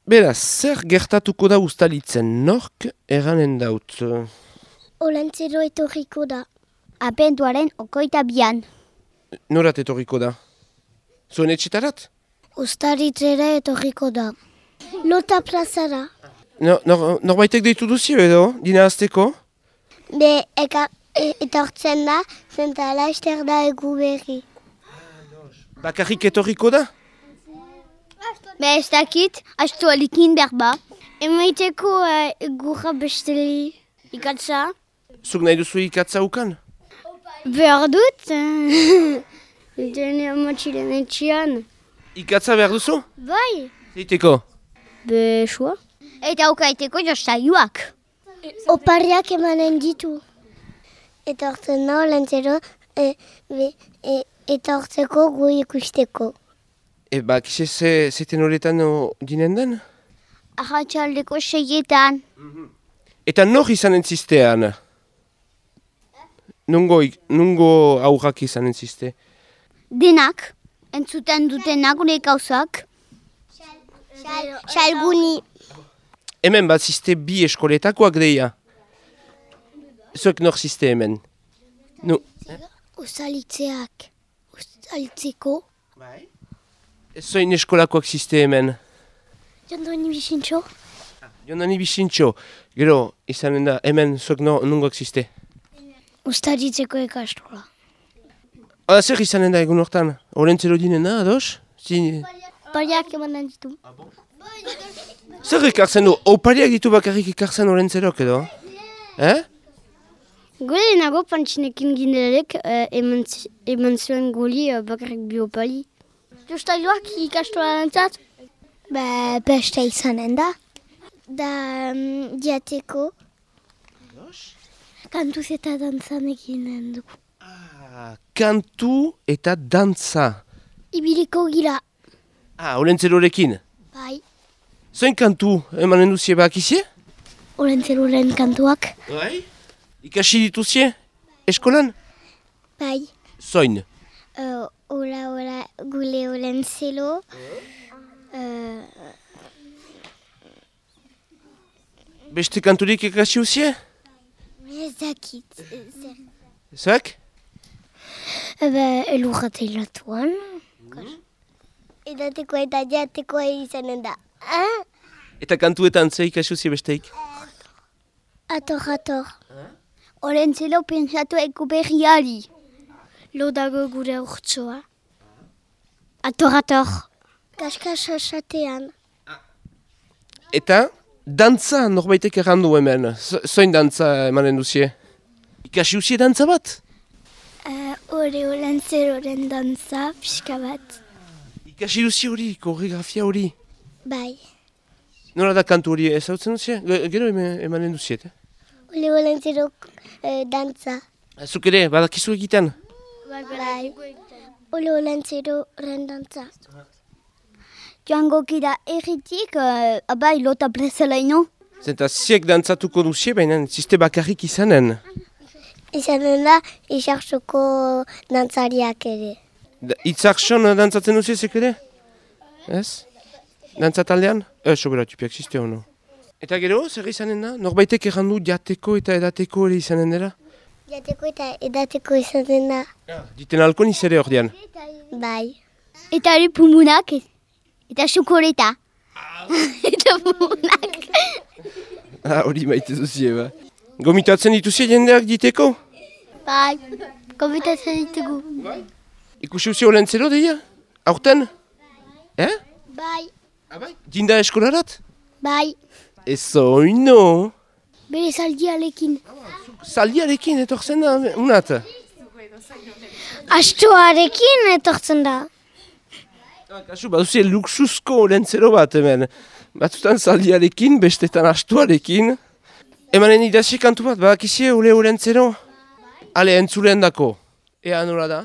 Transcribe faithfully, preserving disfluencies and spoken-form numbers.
Beraz, zer gertatuko da ustalitzen nork eranen daut? Olentzero etorriko da. Abenduaren okoita bian. Norat etorriko da? Zuen etxetarat? Ustaritzera etorriko da. Lota plazara. No, nor, norbaitek deitu duzio edo, dina azteko? Be, eka, e, etortzen da, zentala ester da egu berri. Bakarrik etorriko da? Be ez dakit, astu alikin berba. Emaiteko uh, egurra besteli ikatza. Zuk nahi duzu ikatza ukan? Behar dut. Dene amatxilen etxian. Ikatza behar duzu? Bai. Zeiteko? Be, sua. Eta ukaiteko jostaiuak. Opariak emanen ditu. Etortzen da olentzero, e, be, e, etortzeko gu ikusteko. E, ba, kize ze, zeten horretan o, dinen den? Arratxaldeko seietan. Eta nor izanen ziztean? Nungo, ik- nungo aurrak izanen zizte? Denak, entzuten dutenak gure gauzak. Salbuni. Hemen bat zizte bi eskoletakoak deia. Zuek nor zizte hemen? Nu, Ustaritzeak. Ustaritzeko. zoin eskolakoak zizte hemen? Jondoni bisintxo. Jondani bisintxo, gero izanen da hemen zuek no, nungoak zizte? Ustaritzeko ikastola. Hala zer izanen da egun hortan? Olentzero dinen da, ados? Zin... Opariak emanen ditu. Zer ekartzen du? Opariak ditu bakarrik ekartzen olentzerok edo? Eh? Gure nago pantxinekin gindelek uh, eman, zi- eman zuen goli uh, bakarrik bi opali. Jostaiuak ikastola lantzat? Ba, beste izanen da. Da, um, diateko. Kantuz eta dantzan eginen dugu. Ah, kantu eta dantza. Ibiliko gira. Ah, olentzerorekin. Bai. Zoin kantu emanen duzie bakizie? Olentzeroren kantuak. Bai. Ikasi dituzie? Eskolan? Bai. Zoin? Uh, ola, ola, gule olentzelo. Uh, Beste kanturik ikasi uzie? ez dakit. Zer. Zuek? Eba, elurrat eilatuan. Edatekoa eta diatekoa izanen da. Ah? Eta kantuetan ze ikasi uzie besteik? Ator, ator. Olentzelo pentsatu eko berriari. Lodago gure urtsoa. Ator, ator. Kaskasasatean. Eta dantza norbaitek errandu hemen. Z- Zoin dantza emanen duzie? Ikasi uzie dantza bat? Uh, ore olentzeroren dantza, pixka bat. Ikasi duzie hori, koreografia hori. Bai. Nola da kantu hori ezautzen duzie? Ge- Gero eme- emanen duziet, eh? Ole olentzero uh, dantza. Zuk ere, badakizu egiten? Bai. Ole olentzeroren dantza. Joango gira erritik, uh, abai lota plazalaino. Zenta ziek dantzatuko duzie, baina ziste bakarrik izanen. Izanen da, isartzoko dantzariak ere. Da- Itzarson dantzatzen duzie zek ere? Ez? Dantzataldean? Ez, sobera, tipiak ziste hono. Eta gero, zer izanen da? Norbaitek errandu jateko eta edateko ere izanen dela? Jateko eta edateko izanen da. Diten alko niz ere ordean. Bai. Eta ere pumunak, eta xokoleta. Eta pumunak. Ah, hori maite duzie, ba. Gomitatzen dituzie jendeak diteko? Bai. Komitatzen ditugu. Ikusi uzie olentzero deia? Aurten? Eh? Bai. Abai? Dinda eskolarat? Bai. Ezoino. Bere zaldialekin. Zaldiarekin etortzen da, unat. Astoarekin etortzen da. Kasu, baduzie luxuzko olentzero bat hemen. Batzutan zaldiarekin, bestetan astuarekin. Emanen idazia kantu bat, badakizie ole olentzero? Ale, entzulen dako. Ea nola da?